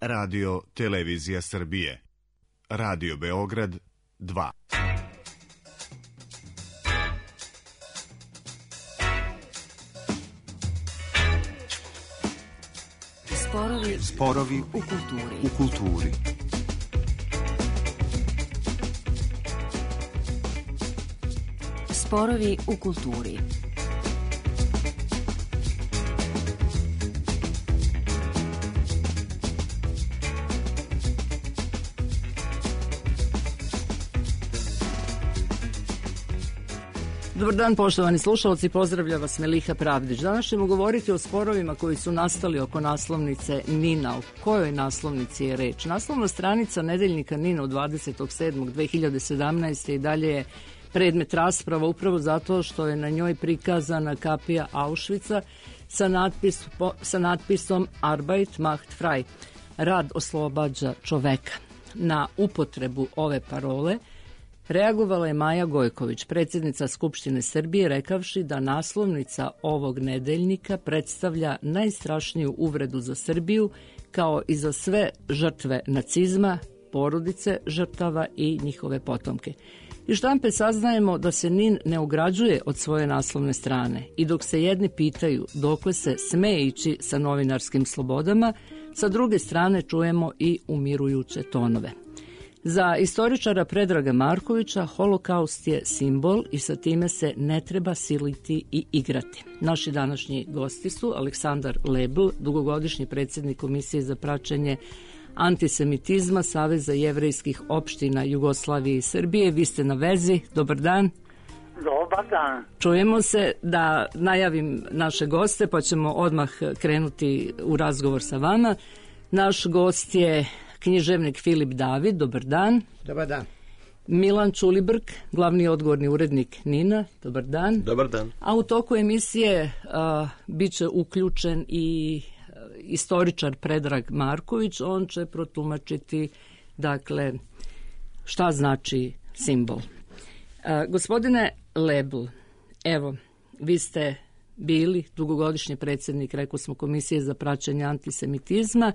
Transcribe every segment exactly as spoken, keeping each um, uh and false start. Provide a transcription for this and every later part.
Radio Televizija Srbije. Radio Beograd dva. Sporovi, Sporovi u kulturi. U kulturi. Sporovi u kulturi. Dobar dan, poštovani slušalci, pozdravlja vas Meliha Pravdić. Danas ćemo govoriti o sporovima koji su nastali oko naslovnice Nina. O kojoj naslovnici je reč? Naslovna stranica nedeljnika Nina od dvadesetog sedmog dve hiljade sedamnaeste. i dalje je predmet rasprava upravo zato što je na njoj prikazana kapija Auschwitza sa, natpis, sa natpisom Arbeit macht frei, rad oslobađa čoveka. Na upotrebu ove parole reagovala je Maja Gojković, predsjednica Skupštine Srbije, rekavši da naslovnica ovog nedeljnika predstavlja najstrašniju uvredu za Srbiju, kao i za sve žrtve nacizma, porodice žrtava i njihove potomke. Iz štampe saznajemo da se Nin ne ograđuje od svoje naslovne strane i dok se jedni pitaju dokle se sme ići sa novinarskim slobodama, sa druge strane čujemo i umirujuće tonove. Za istoričara Predraga Markovića holokaust je simbol i sa time se ne treba siliti i igrati. Naši današnji gosti su Aleksandar Lebl, dugogodišnji predsjednik Komisije za praćenje antisemitizma Saveza jevrejskih opština Jugoslavije i Srbije. Vi ste na vezi. Dobar dan. Dobar dan. Čujemo se, da najavim naše goste pa ćemo odmah krenuti u razgovor sa vama. Naš gost je književnik Filip David. Dobar dan. Dobar dan. Milan Čulibrk, glavni odgovorni urednik Nina. Dobar dan. Dobar dan. A u toku emisije uh, bit će uključen i uh, istoričar Predrag Marković. On će protumačiti, dakle, šta znači simbol. Uh, gospodine Lebl, evo, vi ste bili dugogodišnji predsjednik, rekao smo, Komisije za praćenje antisemitizma.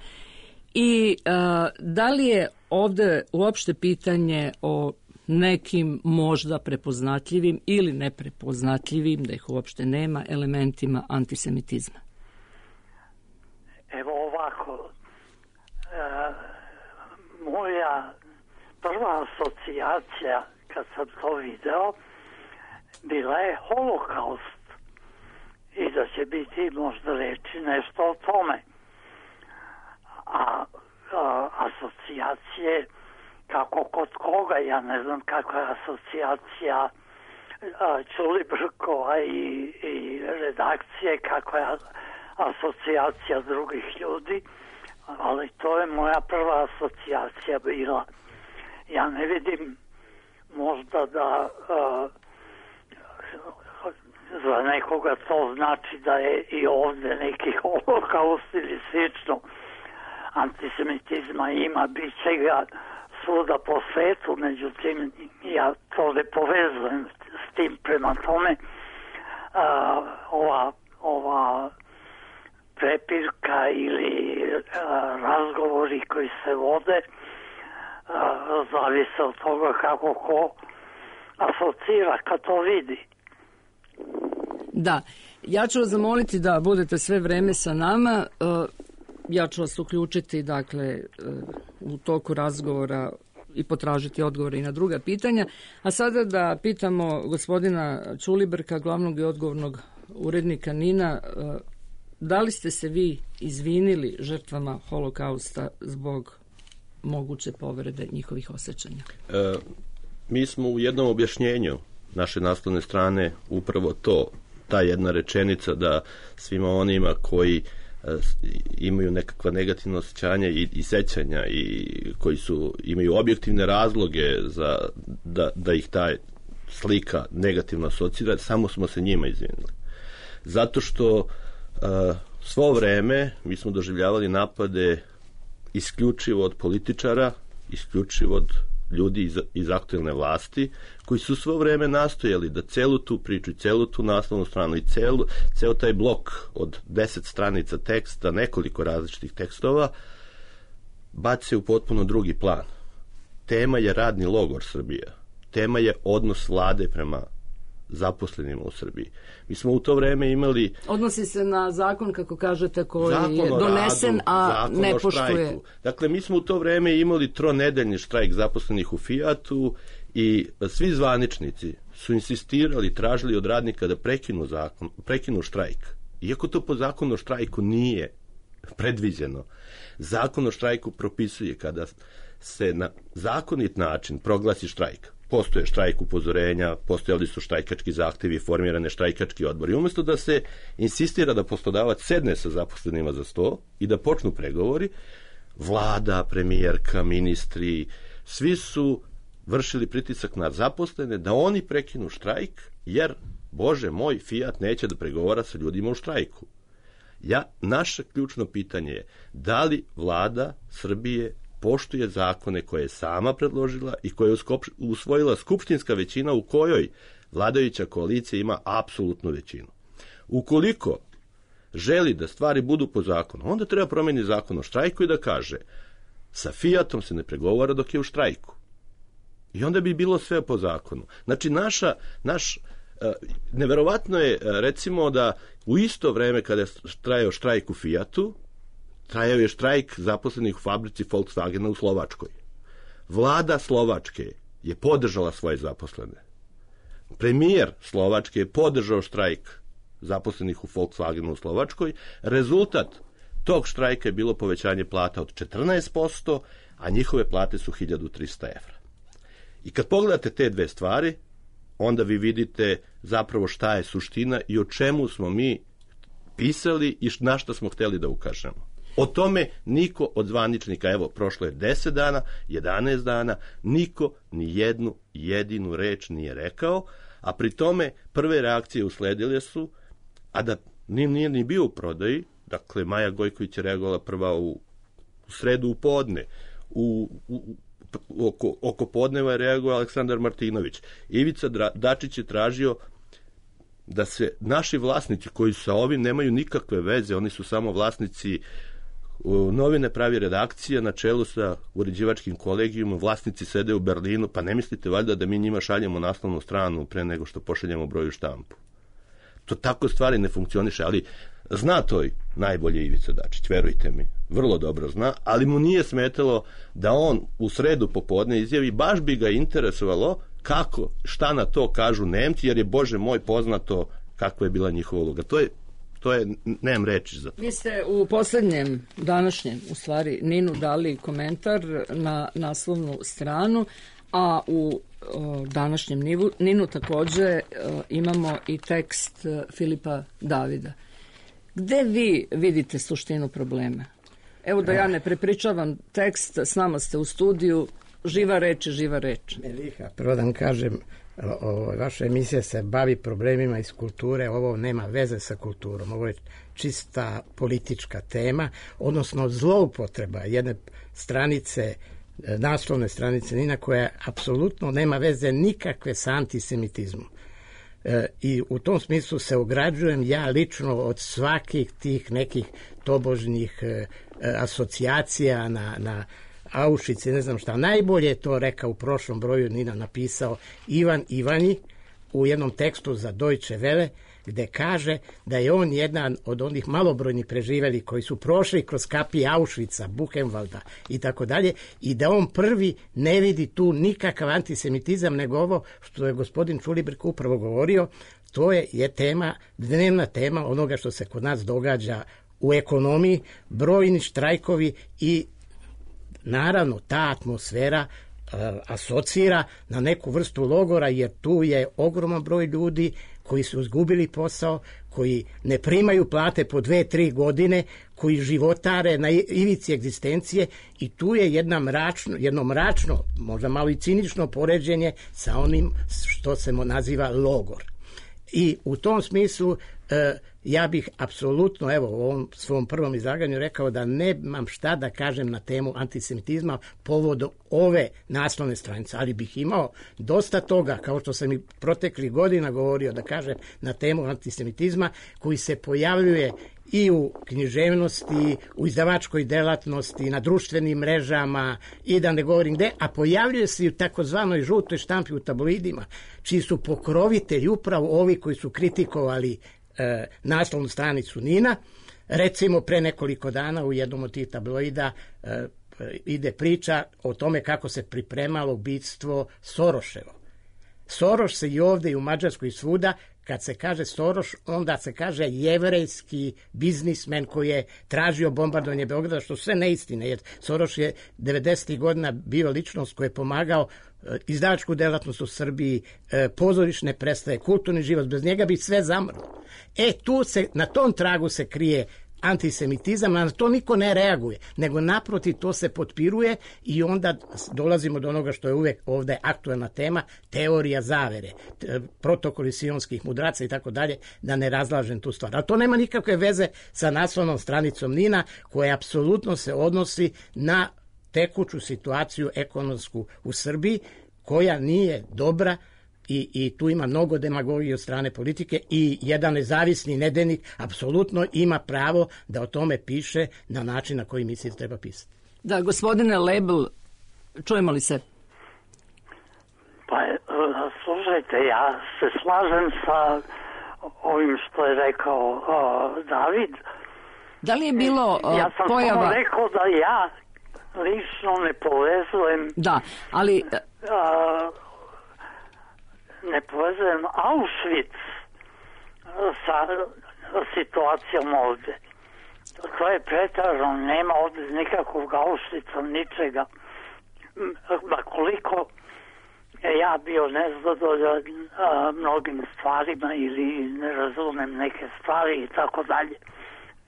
I uh, da li je ovdje uopšte pitanje o nekim možda prepoznatljivim ili neprepoznatljivim, da ih uopšte nema, elementima antisemitizma? Evo ovako, e, moja prva asocijacija kad sam to video bila je holokaust i da će biti možda reći nešto o tome. A, a asocijacije kako kod koga, ja ne znam kakva je asocijacija Čulibrkova i, i redakcije, kakva je asocijacija drugih ljudi, ali to je moja prva asocijacija bila. Ja ne vidim možda da a, za nekoga to znači da je i ovdje neki holokaust ili slično. Antisemitizma ima, bit će ga svuda po svetu, međutim ja to ne povezujem s tim. Prema tome a, ova, ova prepirka ili a, razgovori koji se vode a, zavise od toga kako ko asocira kad to vidi. Da, ja ću vas zamoliti da budete sve vreme sa nama. Uh, Ja ću vas uključiti, dakle, u toku razgovora i potražiti odgovore i na druga pitanja. A sada da pitamo gospodina Čulibrka, glavnog i odgovornog urednika Nina, da li ste se vi izvinili žrtvama holokausta zbog moguće povrede njihovih osjećanja? E, mi smo u jednom objašnjenju naše naslovne strane upravo to, ta jedna rečenica da svima onima koji imaju nekakva negativna osjećanja i, i sećanja i koji su imaju objektivne razloge za da, da ih ta slika negativno asocira, samo smo se njima izvinili. Zato što uh, svo vreme mi smo doživljavali napade isključivo od političara, isključivo od ljudi iz, iz aktuelne vlasti, koji su svo vreme nastojali da celu tu priču i celu tu naslovnu stranu i celu, ceo taj blok od deset stranica teksta, nekoliko različitih tekstova, bace u potpuno drugi plan. Tema je radni logor Srbija. Tema je odnos vlade prema zaposlenima u Srbiji. Mi smo u to vreme imali... Odnosi se na zakon, kako kažete, koji je donesen, radu, a ne poštuje. Dakle, mi smo u to vreme imali tronedeljni štrajk zaposlenih u Fijatu i svi zvaničnici su insistirali, tražili od radnika da prekinu zakon, prekinu štrajk. Iako to po zakonu o štrajku nije predviđeno. Zakon o štrajku propisuje kada se na zakonit način proglasi štrajk. Postoje štrajk upozorenja, postojali su štrajkački zahtevi, formirane štrajkački odbori. Umjesto da se insistira da poslodavac sedne sa zaposlenima za sto i da počnu pregovori, vlada, premijerka, ministri, svi su vršili pritisak na zaposlene da oni prekinu štrajk, jer, Bože moj, Fijat neće da pregovara sa ljudima u štrajku. Ja, naše ključno pitanje je da li vlada Srbije poštuje zakone koje je sama predložila i koje je usvojila skupštinska većina u kojoj vladajuća koalicija ima apsolutnu većinu. Ukoliko želi da stvari budu po zakonu, onda treba promeniti zakon o štrajku i da kaže sa Fijatom se ne pregovara dok je u štrajku. I onda bi bilo sve po zakonu. Znači, naša, naš, neverovatno je, recimo, da u isto vreme kada je trajao štrajk u Fijatu, trajao je štrajk zaposlenih u fabrici Volkswagena u Slovačkoj. Vlada Slovačke je podržala svoje zaposlene. Premijer Slovačke je podržao štrajk zaposlenih u Volkswagenu u Slovačkoj. Rezultat tog štrajka je bilo povećanje plata od četrnaest posto, a njihove plate su hiljadu trista evra. I kad pogledate te dve stvari, onda vi vidite zapravo šta je suština i o čemu smo mi pisali i na šta smo hteli da ukažemo. O tome niko od zvaničnika, evo, prošlo je deset dana, jedanaest dana, niko ni jednu jedinu reč nije rekao, a pri tome prve reakcije usledile su, a da nije ni bio u prodaji, dakle, Maja Gojković je reagovala prva u, u sredu u podne, u, u, oko, oko podneva je reagovao Aleksandar Martinović. Ivica Dačić je tražio da se naši vlasnici, koji sa ovim nemaju nikakve veze, oni su samo vlasnici, novine pravi redakcija na čelu sa uređivačkim kolegijumom, vlasnici sede u Berlinu, pa ne mislite valjda da mi njima šaljemo naslovnu stranu pre nego što pošaljemo broju štampu. To tako stvari ne funkcioniše, ali zna to i najbolje Ivica Dačić, verujte mi, vrlo dobro zna, ali mu nije smetalo da on u sredu popodne izjavi, baš bi ga interesovalo kako, šta na to kažu Nemci, jer je, Bože moj, poznato kakva je bila njihova uloga. To je To je, nemam reći za to. Vi ste u poslednjem, današnjem, u stvari, Ninu dali komentar na naslovnu stranu, a u o, današnjem Nivu, Ninu takođe o, imamo i tekst Filipa Davida. Gde vi vidite suštinu problema? Evo da ja ne prepričavam tekst, s nama ste u studiju, živa reč je živa reč. Meliha, prvo da vam kažem, o, vaša emisija se bavi problemima iz kulture, ovo nema veze sa kulturom, ovo je čista politička tema, odnosno zloupotreba jedne stranice, naslovne stranice Nina, koja apsolutno nema veze nikakve sa antisemitizmom. E, I u tom smislu se ograđujem ja lično od svakih tih nekih tobožnjih e, asocijacija na, na Auschwitz i ne znam šta. Najbolje je to rekao u prošlom broju Nina napisao Ivan Ivanji u jednom tekstu za Deutsche Welle, gde kaže da je on jedan od onih malobrojnih preživeli koji su prošli kroz kapije Auschwitza, Buchenwalda i tako dalje, i da on prvi ne vidi tu nikakav antisemitizam, nego ovo što je gospodin Čulibrk upravo govorio, to je, je tema, dnevna tema onoga što se kod nas događa u ekonomiji, brojni štrajkovi i naravno ta atmosfera uh, asocira na neku vrstu logora, jer tu je ogroman broj ljudi koji su izgubili posao, koji ne primaju plate po dve, tri godine, koji životare na ivici egzistencije, i tu je jedna mračno, jedno mračno, možda malo i cinično poređenje sa onim što se naziva logor. I u tom smislu e, ja bih apsolutno, evo, u ovom svom prvom izlaganju rekao da nemam šta da kažem na temu antisemitizma povodom ove naslovne stranice, ali bih imao dosta toga, kao što sam i proteklih godina govorio, da kažem na temu antisemitizma, koji se pojavljuje i u književnosti, u izdavačkoj delatnosti, na društvenim mrežama i da ne govorim gde, a pojavljuje se i u takozvanoj žutoj štampi u tabloidima, čiji su pokrovitelji upravo ovi koji su kritikovali e, naslovnu stranicu Nina. Recimo, pre nekoliko dana u jednom od tih tabloida e, ide priča o tome kako se pripremalo ubistvo Soroševo. Soroš se i ovde i u Mađarskoj i svuda, kad se kaže Soroš, onda se kaže jevrejski biznismen koji je tražio bombardovanje Beograda, što sve neistine, jer Soroš je devedesetih godina bio ličnost koji je pomagao izdavačku delatnost u Srbiji, pozorišne predstave, kulturni život, bez njega bi sve zamrlo. E, tu se, na tom tragu se krije antisemitizam, a na to niko ne reaguje, nego naprotiv to se potpiruje i onda dolazimo do onoga što je uvek ovde aktuelna tema, teorija zavere, protokoli sionskih mudraca i tako dalje, da ne razlažem tu stvar. Ali to nema nikakve veze sa naslovnom stranicom Nina, koja apsolutno se odnosi na tekuću situaciju ekonomsku u Srbiji, koja nije dobra. I, i tu ima mnogo demagogije od strane politike i jedan nezavisni nedeljnik apsolutno ima pravo da o tome piše na način na koji misli da treba pisati. Da, gospodine Lebel, čujemo li se? Pa, slušajte, ja se slažem sa ovim što je rekao uh, David. Da li je bilo uh, ja sam pojava... samo rekao da ja lično ne povezujem... Da, ali... Uh, ne povezujem Auschwitz sa situacijom ovde. To je pretražno, nema ovde nikakvog Auschwitza, ničega. Ma koliko ja bio nezadovoljan mnogim stvarima ili ne razumem neke stvari i tako dalje.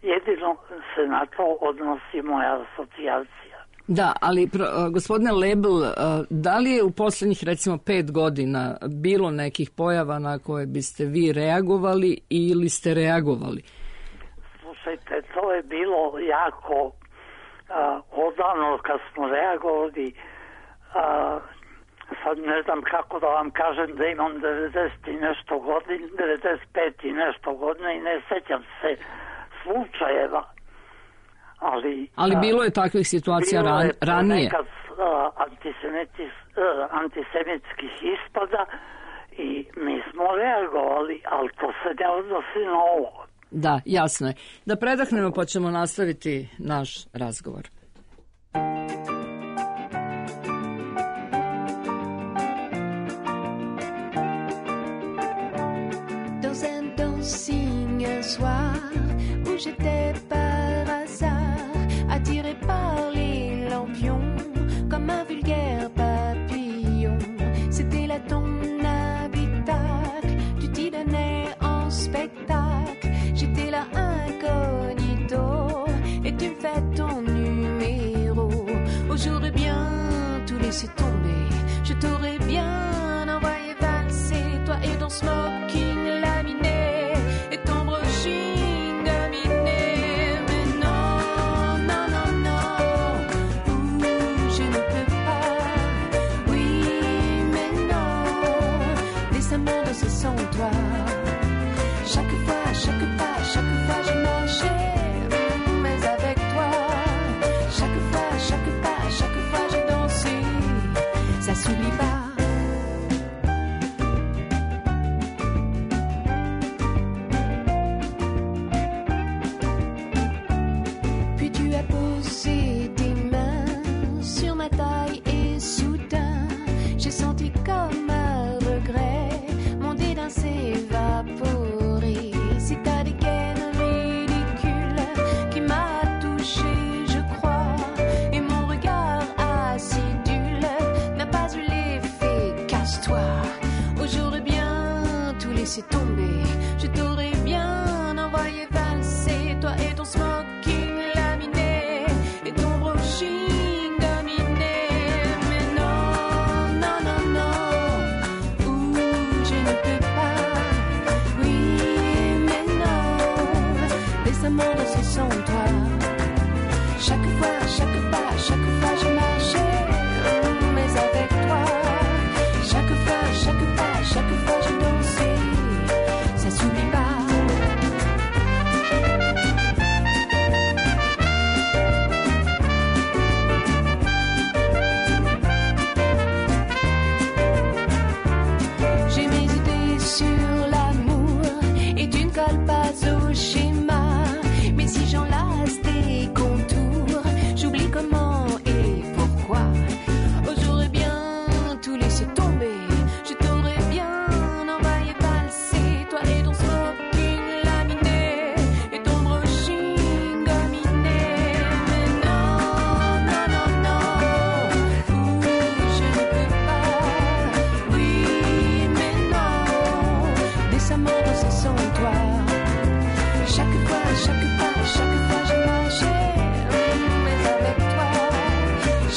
Jedino se na to odnosi moja asocijacija. Da, ali pro, gospodine Lebel, da li je u poslednjih recimo pet godina bilo nekih pojava na koje biste vi reagovali ili ste reagovali? Slušajte, to je bilo jako uh, odavno kad smo reagovali. Uh, sad ne znam kako da vam kažem da imam devedeset i nešto godina, devedeset pet i nešto godina i ne sećam se slučajeva. Ali, Ali bilo je takvih situacija bilo je ran, ranije. Nekad uh, uh, antisemitskih ispada i mi smo reagovali, ali to se ne odnosi na ovo. Da, jasno je. Da predahnemo pa ćemo nastaviti naš razgovor. Dans un dancing un soir où j'étais par hasard attiré par les lampions comme un vulgaire papillon. C'était là ton habitacle, tu t'y donnais en spectacle. J'étais là incognito et tu me fais ton numéro. Oh, j'aurais bien tout laissé tomber, je t'aurais bien envoyé valser, toi et ton smoking laminé et ton brushing dominé. Mais non, non, non, non, ouh, je ne peux pas. Oui, mais non, laisse-moi danser sans toi. Chaque fois, chaque pas, chaque fois je marchais, mais avec toi. Chaque fois, chaque pas, chaque fois je dansais, ça s'oublie pas. Puis tu as posé tes mains sur ma taille et soudain j'ai senti comme un regret mon dédain s'évaporer. C'est ta dégaine ridicule qui m'a touché, je crois, et mon regard acidule n'a pas eu l'effet casse-toi. Oh, j'aurais bien tout laissé tomber, je t'aurais bien envoyé valser, toi et ton smoking laminé et ton brushing dominé. Mais non, non, non, non,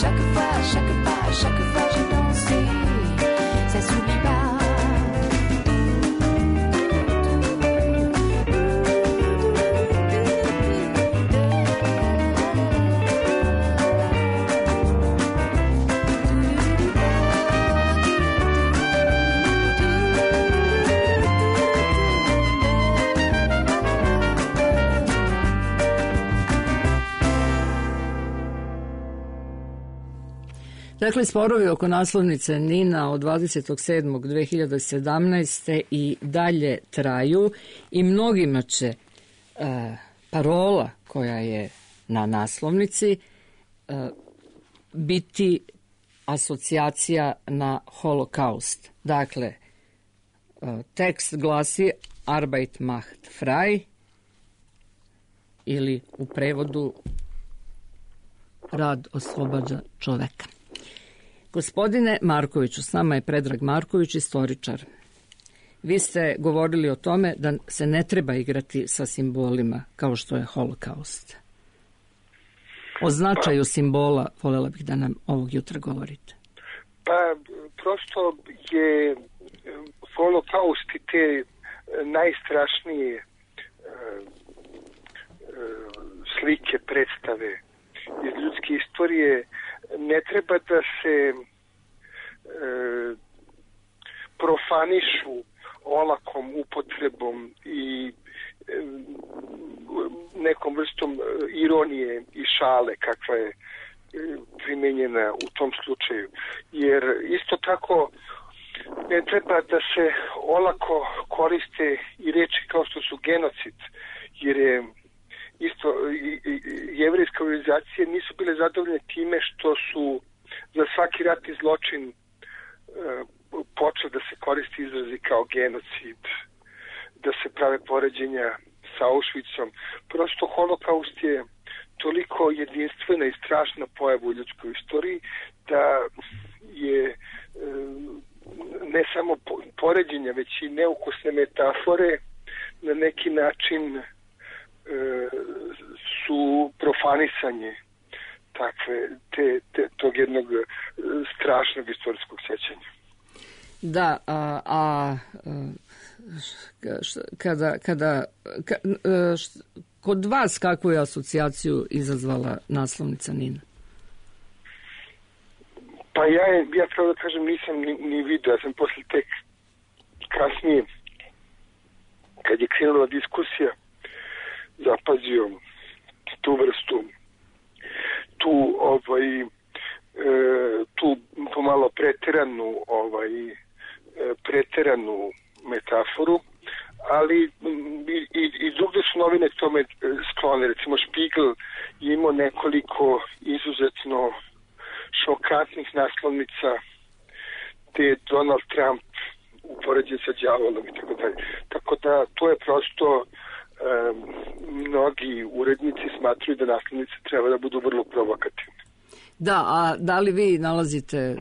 Chaque fois, chaque pas, chaque fois j'ai dansé, ça s'oublie pas. Dakle, sporovi oko naslovnice Nina od dvadesetog sedmog dve hiljade sedamnaeste. i dalje traju i mnogima će e, parola koja je na naslovnici e, biti asocijacija na holokaust. Dakle, e, tekst glasi Arbeit macht frei ili u prevodu rad oslobađa čoveka. Gospodine Markoviću, s nama je Predrag Marković, istoričar. Vi ste govorili o tome da se ne treba igrati sa simbolima kao što je holokaust. O značaju simbola voljela bih da nam ovog jutra govorite. Pa, prosto je holokaust i te najstrašnije slike, predstave iz ljudske istorije ne treba da se e, profanišu olakom upotrebom i e, nekom vrstom ironije i šale kakva je e, primenjena u tom slučaju. Jer isto tako ne treba da se olako koriste i reči kao što su genocid, jer je isto jevrejske organizacije nisu bile zadovoljne time što su za svaki ratni zločin e, počeli da se koristi izrazi kao genocid, da se prave poređenja sa Auschwitzom. Prosto holokaust je toliko jedinstvena i strašna pojava u ljudskoj istoriji da je e, ne samo poređenja, već i neukusne metafore na neki način su profanisanje takve, te, te, tog jednog strašnog istorijskog sjećanja. Da, a, a kada, kada ka, št, kod vas kakvu je asocijaciju izazvala naslovnica Nina? Pa ja, ja pravo da kažem, nisam ni, ni vidio, ja sam posle tek kasnije, kad je krenula diskusija, zapazio tu vrstu, tu ovaj, e, tu pomalo preteranu, ovaj, e, preteranu metaforu, ali i, i, i drugde su novine tome sklone. Recimo Spiegel je imao nekoliko izuzetno šokantnih naslovnica gde je Donald Trump upoređen sa đavolom i tako dalje. Tako da to je prosto Um, mnogi urednici smatruju da naslovnice treba da budu vrlo provokativne. Da, a da li vi nalazite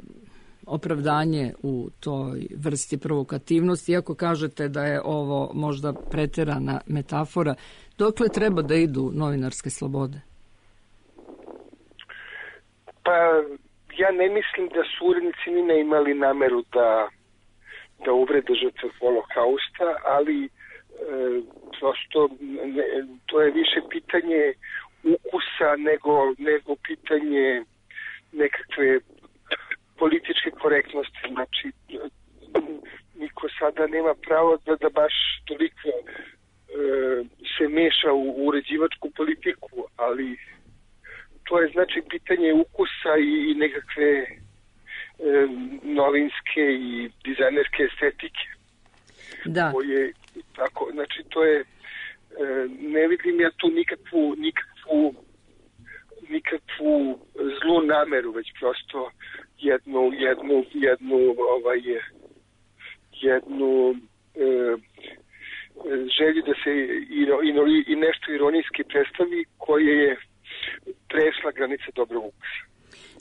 opravdanje u toj vrsti provokativnosti, iako kažete da je ovo možda preterana metafora, dokle treba da idu novinarske slobode? Pa ja ne mislim da su urednici ni ne imali nameru da, da uvrede žrtve holokausta, ali E, prosto ne, to je više pitanje ukusa nego, nego pitanje nekakve političke korektnosti. Znači, niko sada nema pravo da, da baš toliko e, se meša u uređivačku politiku, ali to je znači pitanje ukusa i, i nekakve e, novinske i dizajnerske estetike. Da. Koje, tako, znači to je, e, ne vidim ja tu nikakvu, nikakvu, nikakvu zlu nameru, već prosto jednu, jednu, jednu, ovaj, jednu e, želju da se iro, iro, i nešto ironijski predstavi koje je prešla granica dobrog ukusa.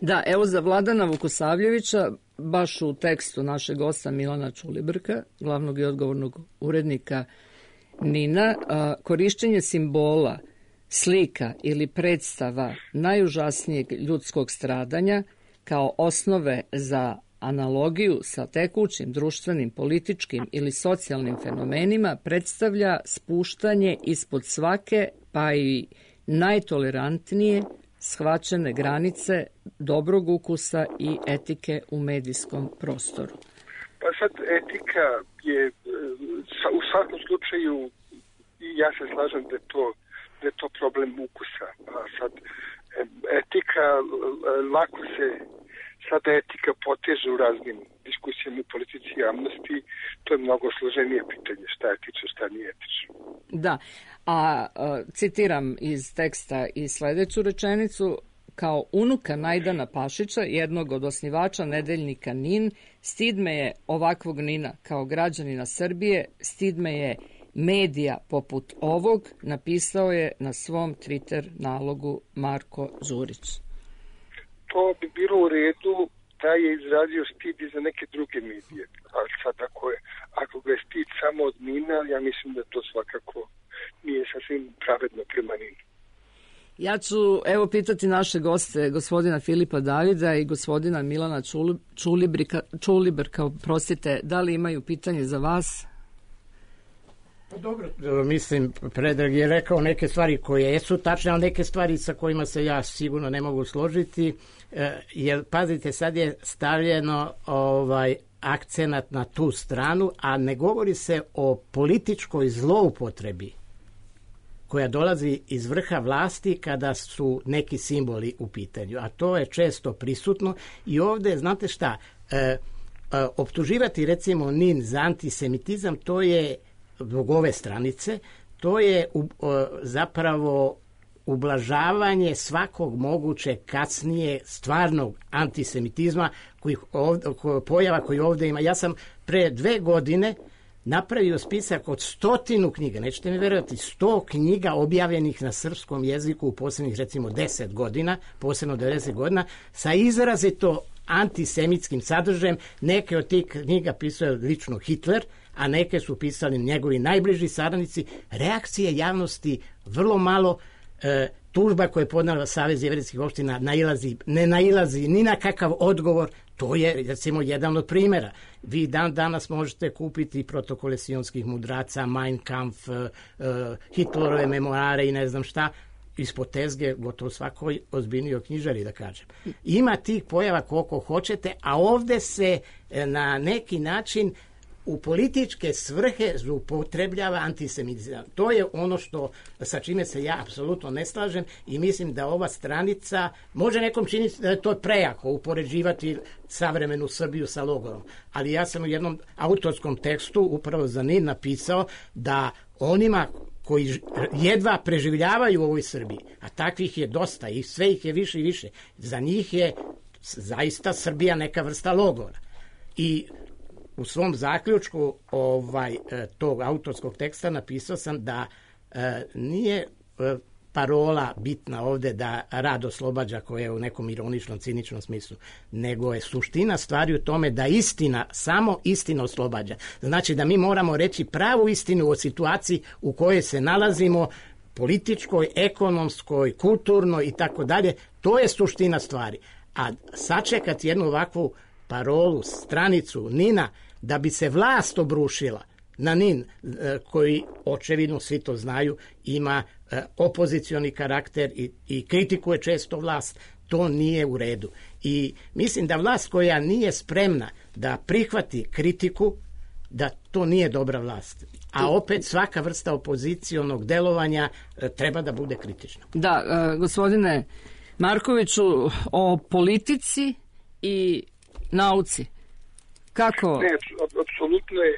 Da, evo za Vladana Vukosavljevića, baš u tekstu našeg gosta Milana Čulibrka, glavnog i odgovornog urednika Nina, korišćenje simbola slika ili predstava najužasnijeg ljudskog stradanja kao osnove za analogiju sa tekućim društvenim, političkim ili socijalnim fenomenima predstavlja spuštanje ispod svake, pa i najtolerantnije shvaćene granice dobrog ukusa i etike u medijskom prostoru. Pa sad etika je u svakom slučaju, ja se slažem da je to, da je to problem ukusa. A sad etika, lako se sada etika poteže u raznim diskusijama u politici i javnosti. To je mnogo složenije pitanje, šta je etično, šta nije etično. Da, a, a citiram iz teksta i sledeću rečenicu: kao unuka Najdana Pašića, jednog od osnivača nedeljnika NIN, stid me je ovakvog NIN-a kao građanina Srbije, stid me je medija poput ovog, napisao je na svom Twitter nalogu Marko Đurić. To bi bilo u redu da je izrazio stid i za neke druge medije. Ali sad ako, je, ako ga je stid samo od NIN-a, ja mislim da to svakako nije sasvim pravedno prema NIN-u. Ja ću evo pitati naše goste, gospodina Filipa Davida i gospodina Milana Čulibrika, Čulibrka, prostite, da li imaju pitanje za vas? Pa dobro, mislim, Predrag je rekao neke stvari koje jesu tačne, ali neke stvari sa kojima se ja sigurno ne mogu složiti, jer pazite, sad je stavljeno ovaj akcenat na tu stranu, a ne govori se o političkoj zloupotrebi koja dolazi iz vrha vlasti kada su neki simboli u pitanju, a to je često prisutno i ovde, znate šta, e, e, optuživati recimo NIN za antisemitizam, to je zbog ove stranice, to je u, o, zapravo ublažavanje svakog mogućeg kasnije stvarnog antisemitizma koji ovde, ko, pojava koji ovde ima. Ja sam pre dve godine napravio spisak od stotinu knjiga, nećete mi verovati, sto knjiga objavljenih na srpskom jeziku u posljednjih recimo deset godina, posebno devedeset godina, sa izrazito antisemitskim sadržajem. Neke od tih knjiga pisao lično Hitler, a neke su pisali njegovi najbliži saradnici. Reakcije javnosti vrlo malo, e, tužba koje je podnela Savez jevrejskih opština nailazi, ne nailazi ni na kakav odgovor. To je, recimo, jedan od primjera. Vi dan danas možete kupiti protokole sionskih mudraca, Mein Kampf, uh, Hitlerove memoare i ne znam šta, ispod tezge gotovo svakoj ozbiljnijoj knjižari, da kažem. Ima tih pojava koliko hoćete, a ovde se na neki način u političke svrhe zloupotrebljava antisemitizam. To je ono što, sa čime se ja apsolutno ne slažem i mislim da ova stranica može nekom činiti da je to prejako upoređivati savremenu Srbiju sa logorom. Ali ja sam u jednom autorskom tekstu upravo za NIN napisao da onima koji jedva preživljavaju u ovoj Srbiji, a takvih je dosta i sve ih je više i više, za njih je zaista Srbija neka vrsta logora. I u svom zaključku ovaj tog autorskog teksta napisao sam da e, nije e, parola bitna ovde da rad oslobađa, koja je u nekom ironičnom, ciničnom smislu, nego je suština stvari u tome da istina, samo istina oslobađa. Znači da mi moramo reći pravu istinu o situaciji u kojoj se nalazimo, političkoj, ekonomskoj, kulturnoj i tako dalje. To je suština stvari. A sačekati jednu ovakvu parolu, stranicu NIN-a, da bi se vlast obrušila na NIN, koji očevidno svi to znaju, ima opozicioni karakter i, i kritikuje često vlast, to nije u redu. I mislim da vlast koja nije spremna da prihvati kritiku, da to nije dobra vlast. A opet svaka vrsta opozicionog delovanja treba da bude kritična. Da, gospodine Markoviću, o politici i nauci. Kako? Ne, apsolutno je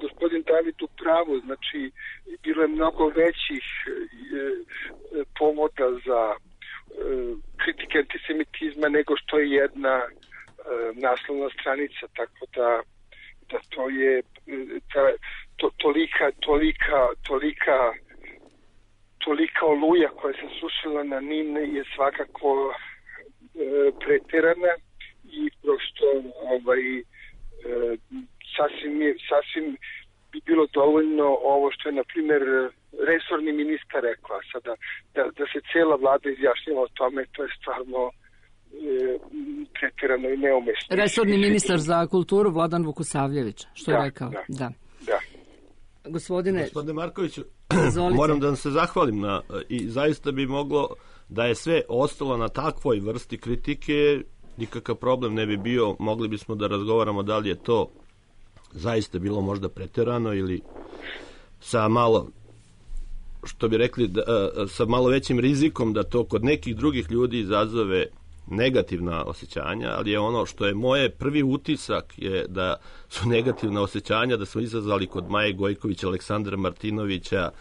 gospodin David u pravu, znači bilo je mnogo većih e, povoda za e, kritike antisemitizma nego što je jedna e, naslovna stranica, tako da, da to je ta, to, tolika, tolika, tolika tolika oluja koja se sušila na NIN je svakako e, preterana i prosto ovaj, e, sasvim, je, sasvim bi bilo dovoljno ovo što je, na primjer, resorni ministar rekao. Sada, da, da se cijela vlada izjašnjava o tome, to je stvarno e, pretjerano i neumešno. Resorni ministar za kulturu Vladan Vukosavljević, što je da, rekao. Da, da. da. Gospodine, Gospodine Markoviću, izvolite. moram da vam se zahvalim na, i zaista bi moglo da je sve ostalo na takvoj vrsti kritike, nikakav problem ne bi bio, mogli bismo da razgovaramo da li je to zaista bilo možda preterano ili sa malo, što bi rekli, da, sa malo većim rizikom da to kod nekih drugih ljudi izazove negativna osjećanja, ali je ono što je moje prvi utisak je da su negativna osjećanja da smo izazvali kod Maje Gojkovića, Aleksandra Martinovića,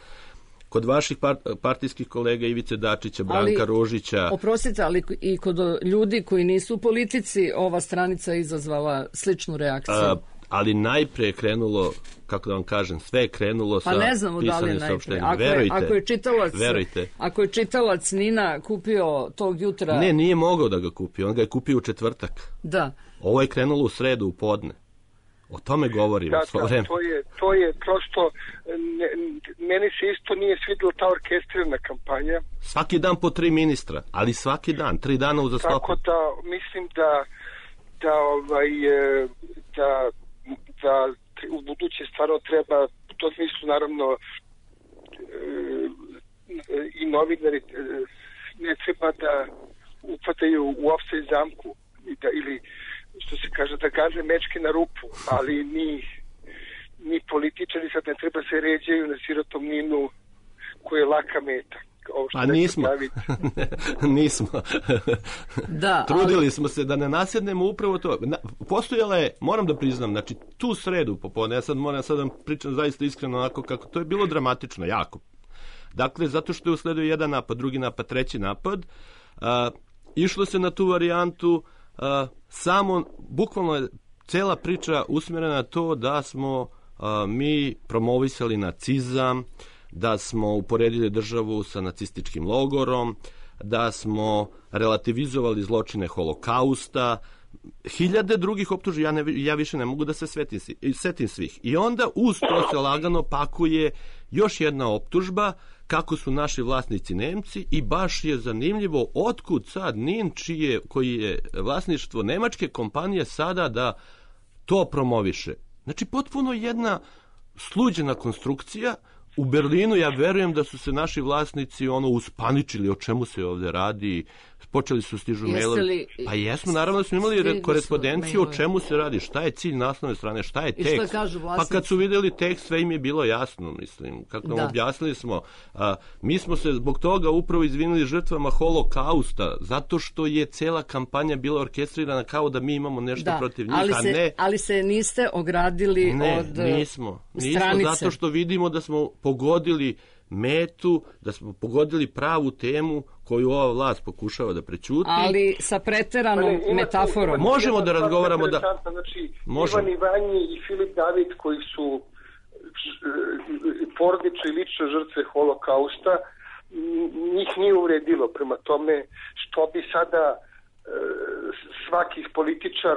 kod vaših partijskih kolega Ivice Dačića, Branka ali, Ružića. Oprostite, ali i kod ljudi koji nisu u politici ova stranica je izazvala sličnu reakciju. A, ali najpre je krenulo, kako da vam kažem, sve je krenulo pa sa pisanim saopštenjem. Ako, verujte, ako je čitalac, verujte. Ako je čitalac Nina kupio tog jutra... Ne, nije mogao da ga kupi, on ga je kupio u četvrtak. Da. Ovo je krenulo u sredu, u podne. O tome govorim. Da, da, to je, to je prosto, ne, meni se isto nije svidjela ta orkestrirana kampanja. Svaki dan po tri ministra, ali svaki dan, tri dana uzastopno. Tako da, mislim da, da, ovaj, da, da u buduće stvarno treba, u tom smislu naravno i novinari ne treba da upadaju u ofsaj zamku i da, ili što se kaže, da gaze mečke na rupu, ali ni, ni političari sad ne treba se ređaju na sirotom Ninu koji je laka meta. Ovo što pa nismo. nismo. Da, Trudili ali... smo se da ne nasjednemo upravo to. Na, postojala je, moram da priznam, znači tu sredu popodne, ja sad moram sad da pričam zaista iskreno onako kako, to je bilo dramatično, jako. Dakle, zato što je usledio jedan napad, drugi napad, treći napad, a, išlo se na tu varijantu. Uh, samo, bukvalno je cela priča usmjerena na to da smo uh, mi promovisali nacizam, da smo uporedili državu sa nacističkim logorom, da smo relativizovali zločine Holokausta, hiljade drugih optuži, ja, ne, ja više ne mogu da se svetim, setim svih. I onda uz to se lagano pakuje još jedna optužba kako su naši vlasnici Nemci i baš je zanimljivo otkud sad Nin, čije, koji je vlasništvo nemačke kompanije, sada da to promoviše. Znači potpuno jedna sluđena konstrukcija. U Berlinu ja verujem da su se naši vlasnici ono uspaničili o čemu se ovdje radi, počeli su stižu mailovi. Pa jesmo, naravno da smo imali korespondenciju o čemu se radi, šta je cilj naslovne strane, šta je tekst. Pa kad su vidjeli tekst sve im je bilo jasno, mislim, kako nam da. objasnili smo. A, mi smo se zbog toga upravo izvinili žrtvama Holokausta, zato što je cela kampanja bila orkestrirana kao da mi imamo nešto da, protiv njih, ali a se, ne... Ali se niste ogradili ne, od nismo, nismo, stranice. zato što vidimo da smo pogodili metu, da smo pogodili pravu temu koju ova vlast pokušava da prećuti. Ali sa preteranom ne, ima, metaforom. Ima, možemo da razgovaramo da... Znači, možemo. Ivan Ivanji i Filip David koji su porodične i lične žrtve Holokausta, njih nije uvredilo. Prema tome, što bi sada e, svaki političar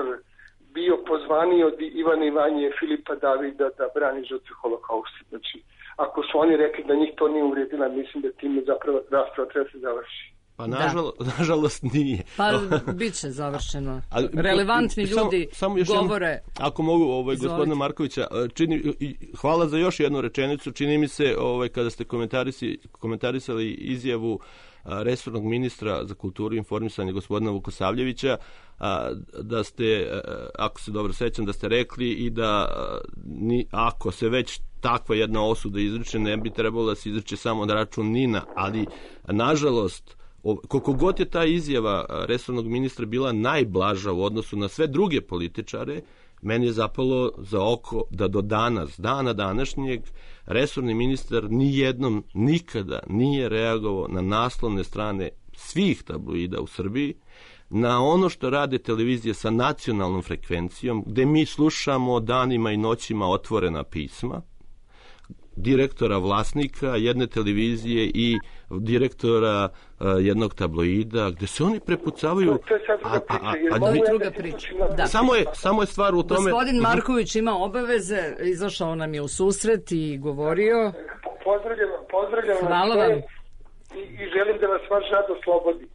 bio pozvaniji od Ivana Ivanje i Filipa Davida da brani žrtve Holokausta. Znači, ako su oni rekli da njih to nije uvredila, mislim da time zapravo rasprava treba se završi. Pa nažalost, nažalost nije. Pa bit će završeno. Ali, relevantni ljudi samo, samo govore. Ako mogu, ovaj, gospodina Markovića, čini, hvala za još jednu rečenicu. Čini mi se, ovaj, kada ste komentarisi, komentarisali izjavu a, resornog ministra za kulturu i informisanje gospodina Vukosavljevića, a, da ste, a, ako se dobro sećam, da ste rekli i da a, ni, ako se već takva jedna osuda izriče, ne bi trebalo da se izriče samo na račun Nina, ali nažalost koliko god je ta izjava resornog ministra bila najblaža u odnosu na sve druge političare, meni je zapalo za oko da do danas, dana današnjeg, resorni ministar nijednom nikada nije reagovao na naslovne strane svih tabloida u Srbiji, na ono što rade televizije sa nacionalnom frekvencijom, gde mi slušamo danima i noćima otvorena pisma, direktora vlasnika jedne televizije i direktora uh, jednog tabloida, gde se oni prepucavaju. To je sad druga priča. A, a, a, Ovo je druga priča. Da. Samo, je, samo je stvar u tome... Gospodin Marković ima obaveze, izašao nam je u susret i govorio... Pozdravljam, pozdravljam Hvala vas vam. i, i želim da vas vaš rad oslobodi.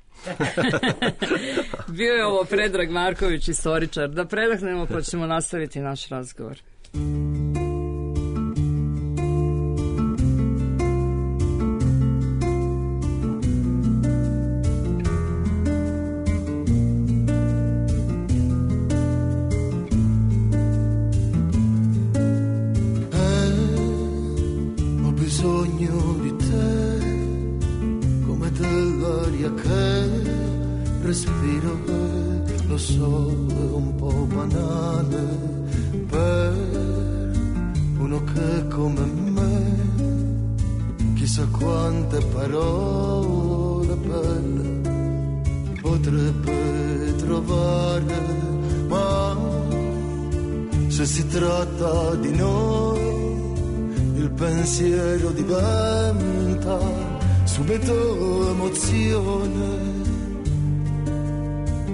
Bio je ovo Predrag Marković, istoričar. Da predahnemo pa ćemo nastaviti naš razgovor. Respiro, lo so, è un po' banale per uno che come me chissà quante parole belle potrebbe trovare, ma se si tratta di noi il pensiero diventa subito emozione.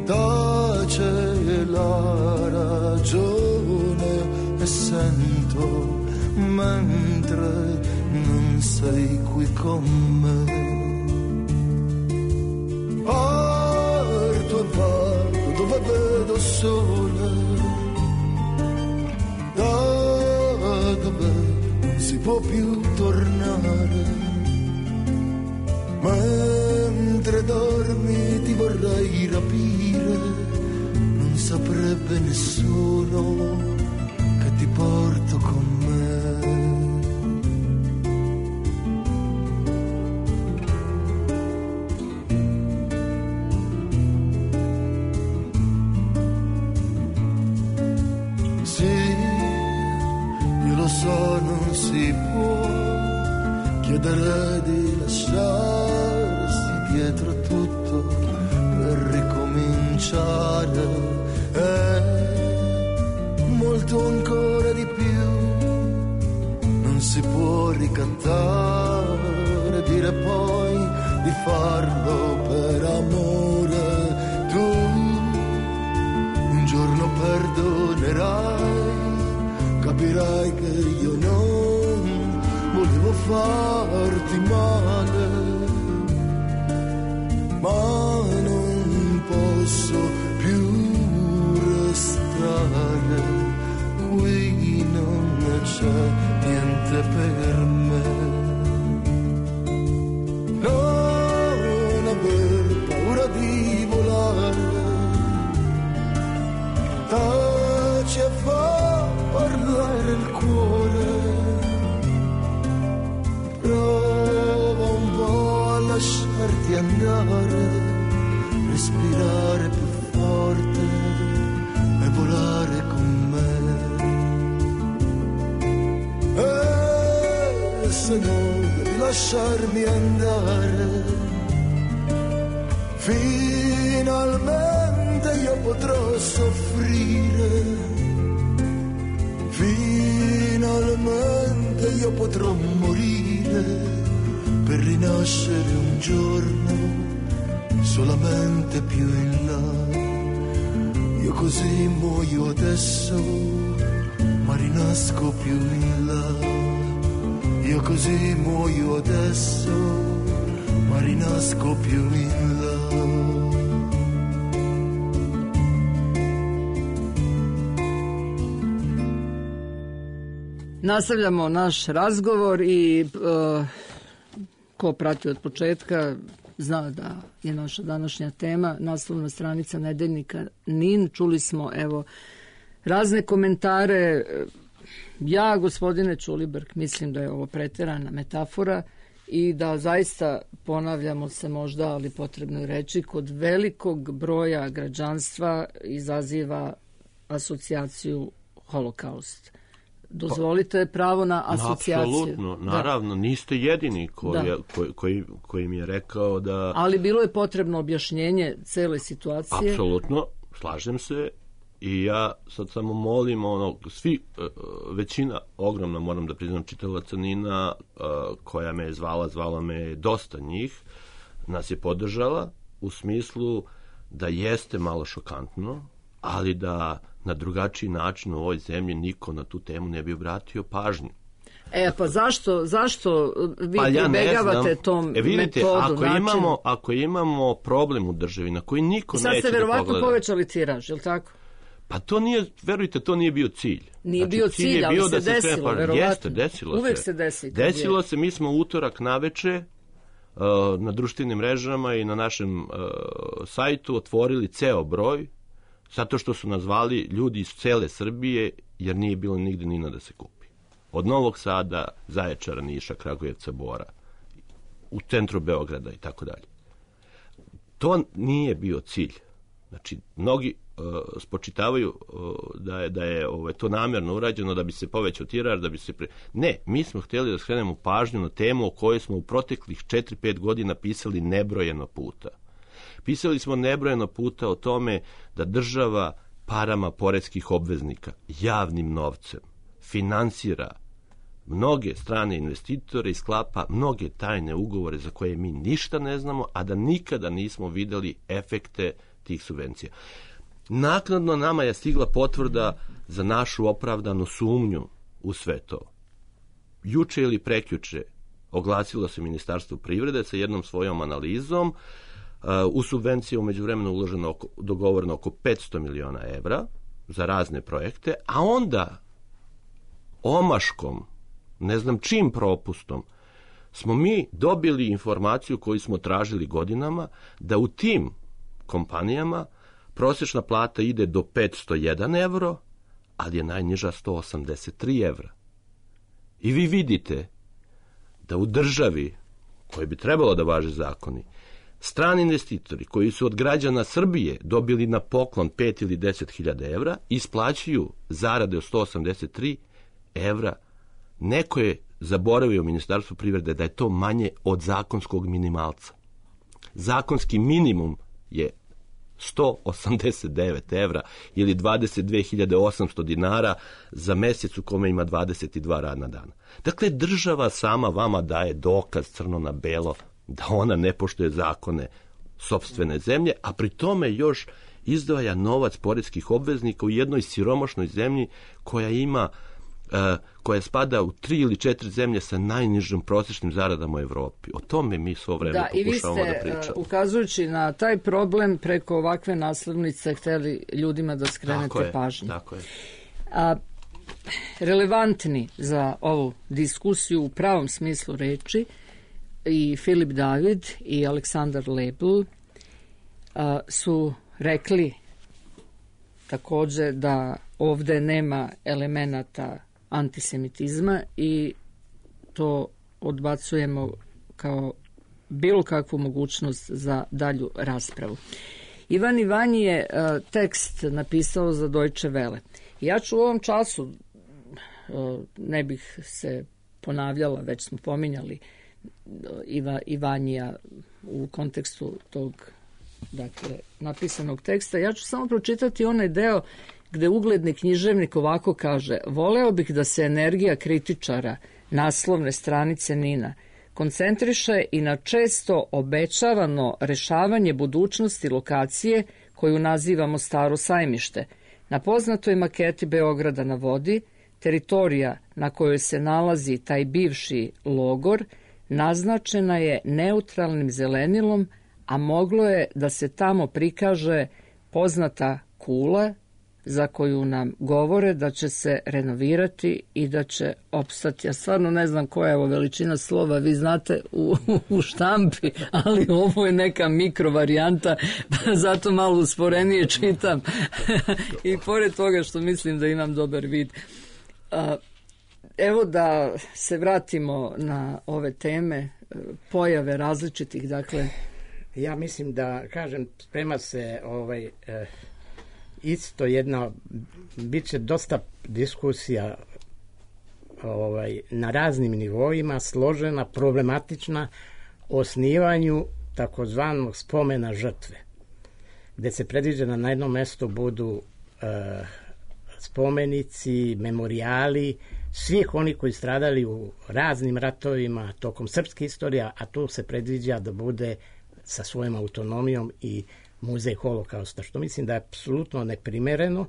Tace la ragione e sento mentre non sei qui con me. Parto e vado dove vedo sole, da dove non si può più tornare. Mentre dormi ti vorrei rapire, non saprebbe nessuno che ti porto con me. Sì, io lo so, non si può chiedere di lasciarsi dietro tutto per ricominciare, e molto ancora di più non si può ricattare, dire poi di farlo per amore. Tu un giorno perdonerai, capirai che io non volevo farti male, ma non posso più restare qui, non c'è niente per me. Non aver paura di volare, taci e fa parlare il cuore, prova un po' a lasciarti andare, respirare più forte e volare con me. E se non devi lasciarmi andare, finalmente io potrò soffrire, finalmente io potrò morire per rinascere un giorno solamente più in là. Io così muoio adesso, ma rinasco più in là. Io così muoio adesso, ma rinasco più in là. Nastavljamo naš razgovor i uh, ko prati od početka zna da je naša današnja tema naslovna stranica nedeljnika Nin. Čuli smo evo razne komentare. Ja, gospodine Ćulibrk, mislim da je ovo preterana metafora i da zaista, ponavljamo se možda, ali potrebno je reći, kod velikog broja građanstva izaziva asocijaciju holokaust. Dozvolite pravo na asocijaciju. Apsolutno, naravno, da. Niste jedini koji, koji, koji, koji mi je rekao da... Ali bilo je potrebno objašnjenje cele situacije. Apsolutno, slažem se i ja sad samo molim, ono, svi, većina, ogromna, moram da priznam, čitalaca Nina, koja me je zvala, zvala me dosta njih, nas je podržala u smislu da jeste malo šokantno, ali da na drugačiji način u ovoj zemlji niko na tu temu ne bi obratio pažnju. E, pa zašto, zašto vi Pa ja ne pribegavate znam. tom E, vidite, metodu, ako načinu? imamo, ako imamo problem u državi na koji niko I sad neće ste da verovatno pogleda. povećali tiraž, je li tako? Pa to nije, verujte, to nije bio cilj. Nije Znači, bio cilj, je ali bio se da se desilo, sve pa- verovatno. Jeste, desilo Uvek se. se desi kad Desilo je- se, mi smo utorak naveče uh, na društvenim mrežama i na našem uh, sajtu otvorili ceo broj, zato što su nas zvali ljudi iz cele Srbije, jer nije bilo nigde Nina da se kupi. Od Novog Sada, Zaječara, Niša, Kragujevca, Bora, u centru Beograda i tako dalje. To nije bio cilj. Znači, mnogi uh, spočitavaju uh, da je, da je ovaj, to namjerno urađeno da bi se povećao tiraž, da bi se... Pre... Ne, mi smo htjeli da skrenemo pažnju na temu o kojoj smo u proteklih četiri pet godina pisali nebrojeno puta. Pisali smo nebrojeno puta o tome da država parama poreskih obveznika, javnim novcem, finansira mnoge strane investitore i sklapa mnoge tajne ugovore za koje mi ništa ne znamo, a da nikada nismo videli efekte tih subvencija. Naknadno nama je stigla potvrda za našu opravdanu sumnju u sve to. Juče ili prekjuče oglasilo se Ministarstvo privrede sa jednom svojom analizom. U subvencije umeđu vremenu uloženo oko, dogovoreno oko petsto miliona evra za razne projekte, a onda omaškom, ne znam čim propustom, smo mi dobili informaciju koju smo tražili godinama, da u tim kompanijama prosječna plata ide do petsto jedan evro, ali je najniža sto osamdeset tri evra. I vi vidite da u državi, koji bi trebalo da važe zakoni, strani investitori koji su od građana Srbije dobili na poklon pet ili deset hiljada evra, isplaćuju zarade od sto osamdeset tri evra. Neko je zaboravio u Ministarstvu privrede da je to manje od zakonskog minimalca. Zakonski minimum je sto osamdeset devet evra ili dvadeset dve hiljade osamsto dinara za mjesec u kome ima dvadeset dva radna dana. Dakle, država sama vama daje dokaz crno na belo da ona ne poštuje zakone sopstvene zemlje, a pri tome još izdvaja novac poreskih obveznika u jednoj siromašnoj zemlji koja ima Uh, koja spada u tri ili četiri zemlje sa najnižim prosječnim zaradama u Evropi. O tome mi svo vreme da, pokušavamo da pričamo. Da, i vi ste, uh, ukazujući na taj problem, preko ovakve naslovnice hteli ljudima da skrenete tako je, pažnju. Tako je. A, relevantni za ovu diskusiju u pravom smislu reči i Filip David i Aleksandar Lebl a, su rekli takođe da ovde nema elemenata antisemitizma i to odbacujemo kao bilo kakvu mogućnost za dalju raspravu. Ivan Ivanji je uh, tekst napisao za Deutsche Welle. Ja ću u ovom času, uh, ne bih se ponavljala, već smo pominjali uh, Iva, Ivanija u kontekstu tog, dakle, napisanog teksta. Ja ću samo pročitati onaj deo gde ugledni književnik ovako kaže: voleo bih da se energija kritičara naslovne stranice Nina koncentriše i na često obećavano rešavanje budućnosti lokacije koju nazivamo Staro sajmište. Na poznatoj maketi Beograda na vodi, teritorija na kojoj se nalazi taj bivši logor naznačena je neutralnim zelenilom, a moglo je da se tamo prikaže poznata kula za koju nam govore da će se renovirati i da će opstati. Ja stvarno ne znam koja je ovo veličina slova, vi znate u, u štampi, ali ovo je neka mikro varijanta, pa zato malo usporenije čitam. I pored toga što mislim da imam dobar vid. Evo da se vratimo na ove teme, pojave različitih, dakle... Ja mislim da, kažem, sprema se ovaj... Eh, isto jedna, bit će dosta diskusija ovaj, na raznim nivoima, složena, problematična, o osnivanju takozvanog spomena žrtve, gde se predviđa da na jednom mestu budu e, spomenici, memorijali svih oni koji stradali u raznim ratovima tokom srpske istorije, a tu se predviđa da bude sa svojom autonomijom i muzej holokausta, što mislim da je apsolutno neprimereno,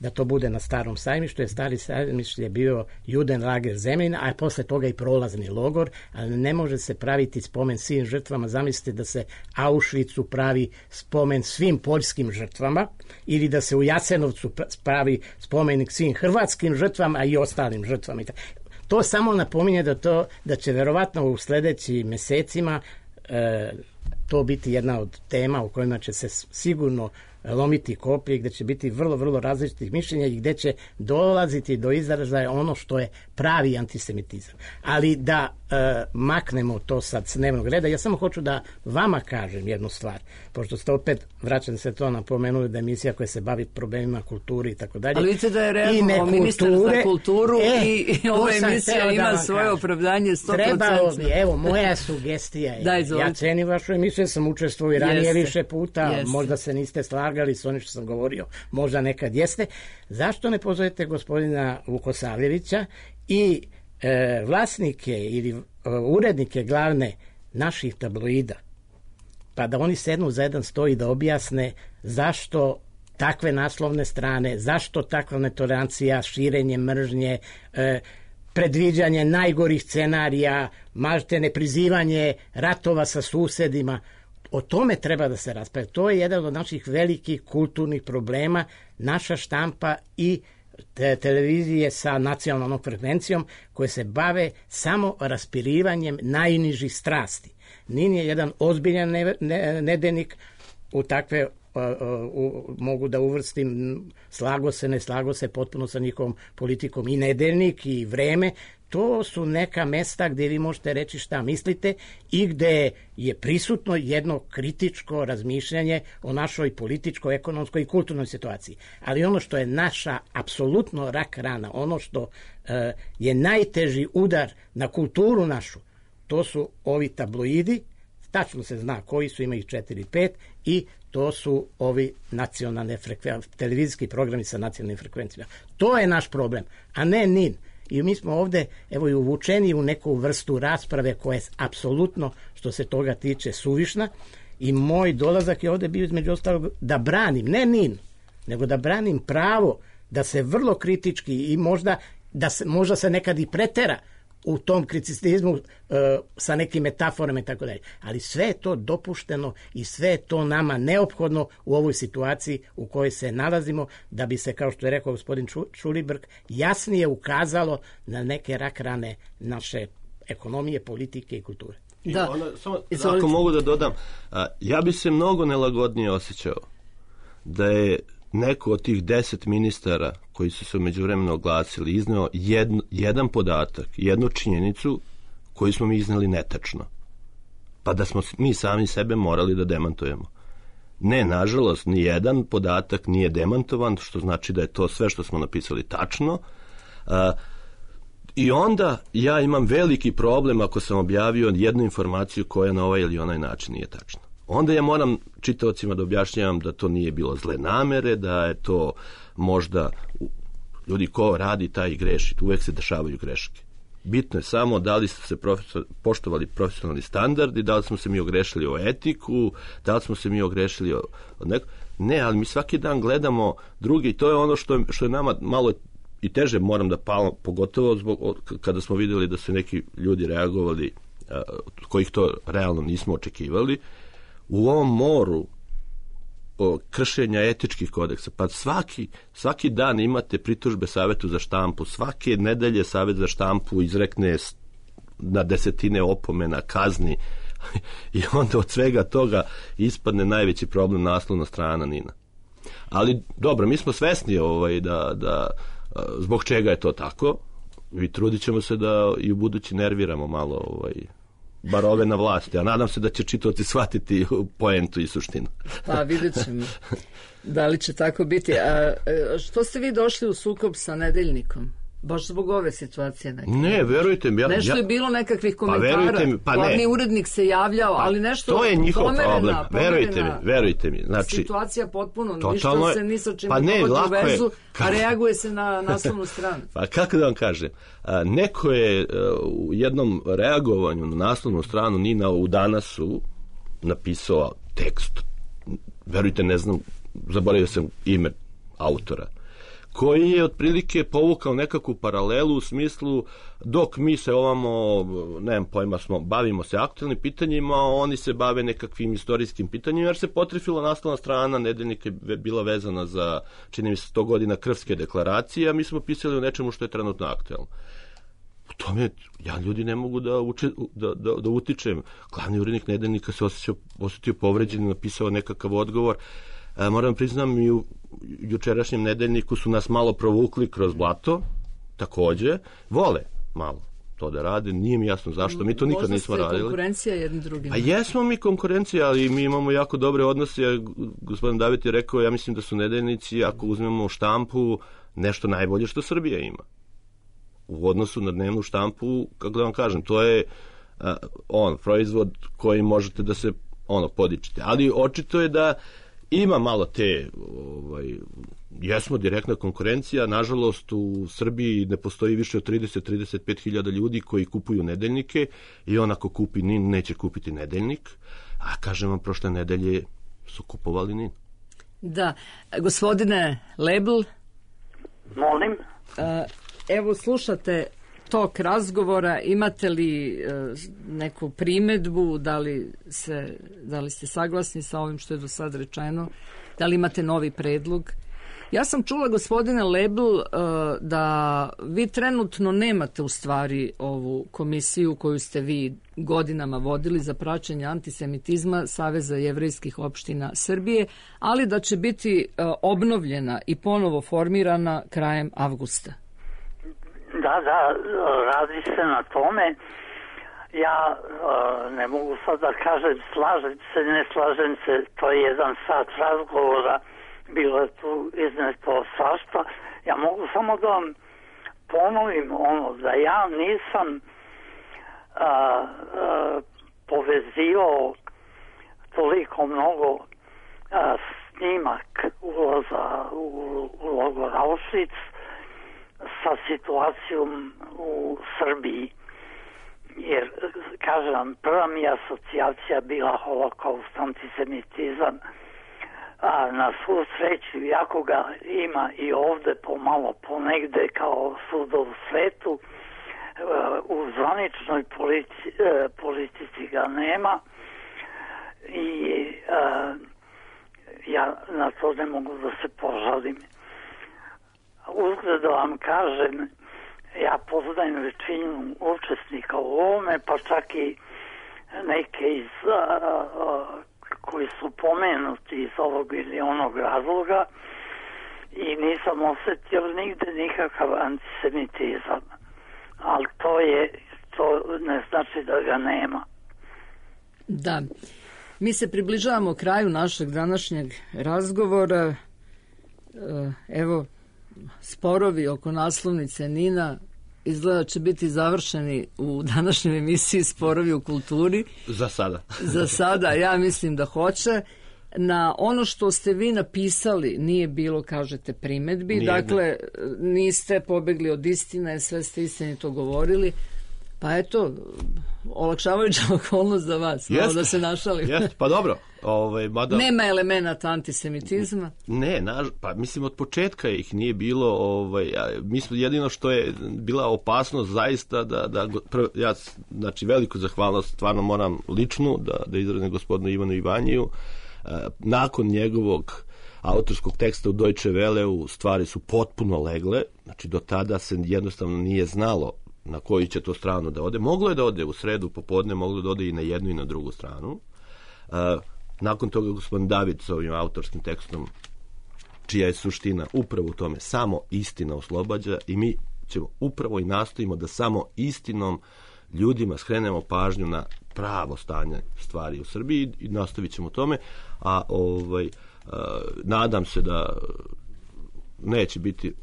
da to bude na Starom sajmištu, jer Stari sajmišt je bio Judenlager Zemljina, a posle toga i prolazni logor, ali ne može se praviti spomen svim žrtvama. Zamislite da se Auschwitzu pravi spomen svim poljskim žrtvama ili da se u Jasenovcu pravi spomenik svim hrvatskim žrtvama i ostalim žrtvama. To samo napominje da, to, da će verovatno u sledećim mesecima e, to biti jedna od tema u kojima će se sigurno lomiti koplje, gde će biti vrlo, vrlo različitih mišljenja i gde će dolaziti do izražaja ono što je pravi antisemitizam. Ali da e, maknemo to sad s dnevnog reda, ja samo hoću da vama kažem jednu stvar, pošto ste opet, vraćam se to, napomenuli da je emisija koja se bavi problemima kulturi i tako dalje. Ali vidite da je reagovao ministar za kulturu e, i, i ova emisija ima da svoje kažem. Opravdanje sto posto. Trebalo bi, evo, moja sugestija je, da, ja cenim vašu emisiju, sam učestvovao i ranije jeste, više puta, jeste. Možda se niste slagali s onim što sam govorio, možda nekad jeste. Zašto ne pozovete gospodina Vukosavljevića i e, vlasnike ili e, urednike glavne naših tabloida, pa da oni sednu za jedan sto i da objasne zašto takve naslovne strane, zašto takva netolerancija, širenje mržnje, e, predviđanje najgorih scenarija, malte neprizivanje ratova sa susedima. O tome treba da se raspravlja. To je jedan od naših velikih kulturnih problema. Naša štampa i te televizije sa nacionalnom frekvencijom koje se bave samo raspirivanjem najnižih strasti. Nin je jedan ozbiljan ne, ne, nedeljnik, u takve uh, uh, mogu da uvrstim slago se, ne slago se potpuno sa njihovom politikom i nedeljnik i Vreme. To su neka mesta gde vi možete reći šta mislite i gde je prisutno jedno kritičko razmišljanje o našoj političkoj, ekonomskoj i kulturnoj situaciji. Ali ono što je naša apsolutno rak rana, ono što uh, je najteži udar na kulturu našu, to su ovi tabloidi, tačno se zna koji su, ima ih četiri pet, i to su ovi nacionalne frekvencije, televizijski programi sa nacionalnim frekvencijama. To je naš problem, a ne Nin. I mi smo ovde, evo, i uvučeni u neku vrstu rasprave koja je apsolutno, što se toga tiče, suvišna, i moj dolazak je ovde bio između ostalog da branim, ne Nin, nego da branim pravo da se vrlo kritički i možda da se, možda se nekad i pretera u tom kriticizmu uh, sa nekim metaforama i tako dalje. Ali sve je to dopušteno i sve je to nama neophodno u ovoj situaciji u kojoj se nalazimo, da bi se, kao što je rekao gospodin Čulibrk, jasnije ukazalo na neke rak rane naše ekonomije, politike i kulture. I da. Ona, samo, ako mogu da dodam, a, ja bi se mnogo nelagodnije osjećao da je neko od tih deset ministara koji su se međuvremeno oglasili izneo jedno, jedan podatak, jednu činjenicu koju smo mi izneli netačno. Pa da smo mi sami sebe morali da demantujemo. Ne, nažalost, ni jedan podatak nije demantovan, što znači da je to sve što smo napisali tačno. A, I onda ja imam veliki problem ako sam objavio jednu informaciju koja na ovaj ili onaj način nije tačna. Onda ja moram čitaocima da objašnjavam da to nije bilo zle namere, da je to možda ljudi ko radi taj i greši, uvek se dešavaju greške. Bitno je samo da li su se profesor, poštovali profesionalni standardi, da li smo se mi ogrešili o etiku, da li smo se mi ogrešili o, o neko. Ne, ali mi svaki dan gledamo drugi i to je ono što je, što je nama malo i teže, moram da palam, pogotovo zbog, kada smo vidjeli da su neki ljudi reagovali, a, kojih to realno nismo očekivali, u ovom moru o kršenja etičkih kodeksa, pa svaki, svaki dan imate pritužbe Savetu za štampu, svake nedelje Savet za štampu izrekne na desetine opomena, kazni, i onda od svega toga ispadne najveći problem naslovna strana Nina. Ali dobro, mi smo svesni ovaj, da, da zbog čega je to tako i trudit ćemo se da i u budući nerviramo malo ovaj, bar ove na vlasti, a nadam se da će čitaoci shvatiti poentu i suštinu. Pa vidjet ćemo da li će tako biti. A što ste vi došli u sukob sa Nedeljnikom? Baš zbog ove situacije neke? Ne, verujte mi. Ja, nešto ja, je bilo nekakvih komentara. Pa mi, pa glavni urednik se javljao, pa, ali nešto to je njihov pomerena, problem. Pomerena, verujte mi, verujte mi. Znači, situacija potpuno, ništa se ni sa čim pa ne dovodi u vezu, a reaguje se na naslovnu stranu. Pa kako da vam kažem, a, neko je a, u jednom reagovanju na naslovnu stranu Nina u Danasu napisao tekst, verujte, ne znam, zaboravio sam ime autora, koji je otprilike povukao nekakvu paralelu u smislu dok mi se ovamo, nemam pojma, smo, bavimo se aktualnim pitanjima, oni se bave nekakvim istorijskim pitanjima, jer se potrefila naslovna strana nedeljnika je bila vezana za, čini mi se, sto godina Krfske deklaracije, a mi smo pisali o nečemu što je trenutno aktualno. U tome ja ljudi ne mogu da, uče, da, da, da utičem. Glavni urednik nedeljnika se osjećao, osjetio povređen i napisao nekakav odgovor. E, moram priznam, i u jučerašnjem nedeljniku su nas malo provukli kroz blato, takođe. Vole malo to da rade, nije mi jasno zašto, mi to nikad Možda nismo radili. Možda ste konkurencija jednim drugim. A jesmo mi konkurencija, ali mi imamo jako dobre odnose. Gospodin David je rekao, ja mislim da su nedeljnici, ako uzmemo štampu, nešto najbolje što Srbija ima. U odnosu na dnevnu štampu, kako da vam kažem, to je uh, on, proizvod koji možete da se ono podičite. Ali očito je da ima malo te, ovaj, jesmo direktna konkurencija, nažalost u Srbiji ne postoji više od trideset do trideset pet hiljada ljudi koji kupuju nedeljnike i on ako kupi NIN neće kupiti nedeljnik, a kažem vam, prošle nedelje su kupovali NIN. Da, gospodine Lebl, molim. Uh, evo slušate tok razgovora, imate li uh, neku primedbu, da li, se, da li ste saglasni sa ovim što je do sad rečeno, da li imate novi predlog? Ja sam čula, gospodine Lebl, uh, da vi trenutno nemate u stvari ovu komisiju koju ste vi godinama vodili za praćenje antisemitizma Saveza jevrejskih opština Srbije, ali da će biti uh, obnovljena i ponovo formirana krajem avgusta. Da, da, radi se na tome. Ja uh, ne mogu sad da kažem slažem se, ne slažem se, to je jedan sat razgovora, bilo je tu izneto svašta. Ja mogu samo da vam ponovim ono, da ja nisam uh, uh, povezivao toliko mnogo uh, snimak ulaza u, u logor Auschwitz sa situacijom u Srbiji. Jer, kažem vam, prva mi asocijacija bila holokaust, antisemitizam, a na svu sreću, jako ga ima i ovde pomalo ponegde kao svuda u svetu, u zvaničnoj politici, politici ga nema i a, ja na to ne mogu da se požalim. Uzgled da vam kažem, ja poznajem većinu učesnika u ovome, pa čak i neke iz, a, a, koji su pomenuti iz ovog ili onog razloga i nisam osetio nigde nikakav antisemitizam. Ali to je, to ne znači da ga nema. Da. Mi se približavamo kraju našeg današnjeg razgovora. Evo, sporovi oko naslovnice NIN-a izgleda će biti završeni u današnjoj emisiji Sporovi u kulturi. Za sada. Za sada, ja mislim da hoće. Na ono što ste vi napisali nije bilo, kažete, primedbi. Nije, dakle, niste pobegli od istine, sve ste istinito govorili. Pa eto, olakšavajuća okolnost za vas, malo da se našalim. Jest, pa dobro. Ovaj, mada... Nema elemenata antisemitizma? Ne, naž, pa mislim od početka ih nije bilo, ovaj, ja, mislim jedino što je bila opasnost zaista da, da prv, ja, znači veliku zahvalnost stvarno moram ličnu da, da izrazim gospodinu Ivanu Ivanjiju. E, nakon njegovog autorskog teksta u Deutsche Welleu stvari su potpuno legle, znači do tada se jednostavno nije znalo na koju će to stranu da ode. Moglo je da ode u sredu popodne, moglo da ode i na jednu i na drugu stranu. Uh, nakon toga gospodin David s ovim autorskim tekstom, čija je suština upravo u tome, samo istina oslobađa, i mi ćemo upravo i nastojimo da samo istinom ljudima skrenemo pažnju na pravo stanje stvari u Srbiji i nastavit ćemo tome, a ovaj, uh, nadam se da neće biti...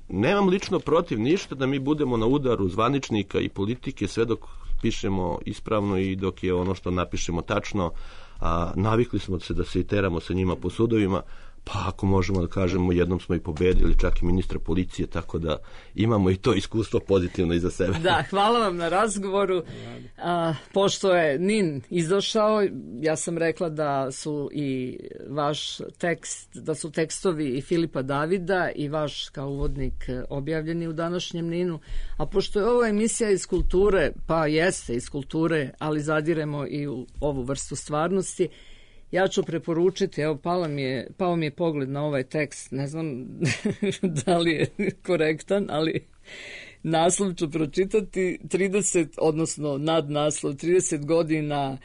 Nemam lično protiv ništa da mi budemo na udaru zvaničnika i politike sve dok pišemo ispravno i dok je ono što napišemo tačno, a navikli smo se da se i teramo sa njima po sudovima, pa ako možemo da kažemo, jednom smo i pobedili čak i ministra policije, tako da imamo i to iskustvo pozitivno iza sebe. Da, hvala vam na razgovoru. A, pošto je Nin izašao, ja sam rekla da su i vaš tekst, da su tekstovi i Filipa Davida i vaš kao uvodnik objavljeni u današnjem Ninu, a pošto je ovo emisija iz kulture, pa jeste iz kulture, ali zadiremo i u ovu vrstu stvarnosti, ja ću preporučiti, evo pala mi je, pao mi je pogled na ovaj tekst, ne znam da li je korektan, ali naslov ću pročitati, trideset, odnosno nadnaslov, trideset godina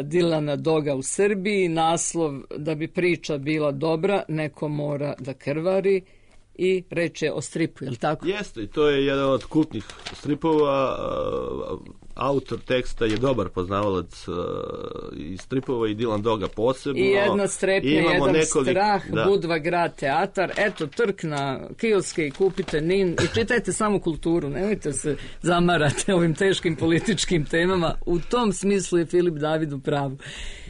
Dilana Doga u Srbiji, naslov da bi priča bila dobra, neko mora da krvari, i reč je o stripu, je li tako? Jeste, i to je jedan od kultnih stripova. Autor teksta je dobar poznavalac i stripova i Dilan Doga posebno. I jedna strepnja, jedan nekolik, strah, da. Budva grad teatar. Eto, trk na kioske i kupite Nin i čitajte samo kulturu. Nemojte se zamarati ovim teškim političkim temama. U tom smislu je Filip David u pravu.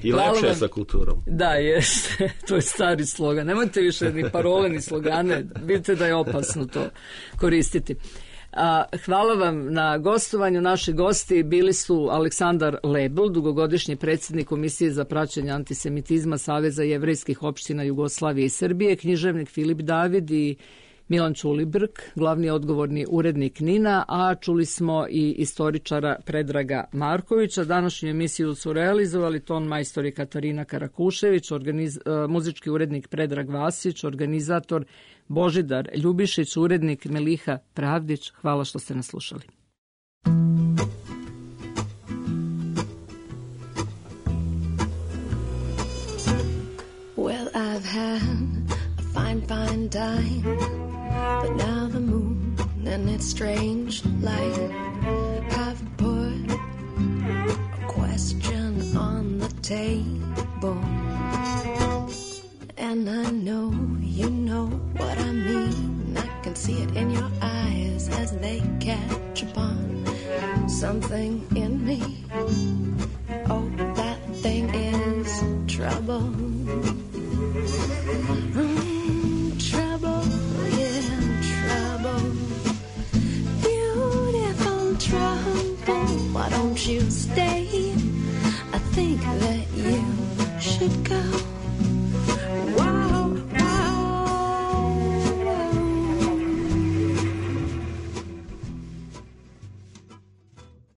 I Hvala lepše je vam. sa kulturom. Da, jeste. To je stari slogan. Nemojte više ni parole, ni slogane. Vidite da je opasno to koristiti. A, hvala vam na gostovanju. Naši gosti bili su Aleksandar Lebl, dugogodišnji predsjednik Komisije za praćenje antisemitizma Saveza jevrejskih opština Jugoslavije i Srbije, književnik Filip David i Milan Ćulibrk, glavni odgovorni urednik Nina, a čuli smo i istoričara Predraga Markovića. Današnju emisiju su realizovali ton majstor i Katarina Karakušević, organiz, muzički urednik Predrag Vasić, organizator Božidar Ljubišić, urednik Meliha Pravdić. Hvala što ste nas slušali. Well, I've had a fine, fine time, but now the moon and its strange light have put a question on the table. And I know you know what I mean. I can see it in your eyes as they catch upon something in me.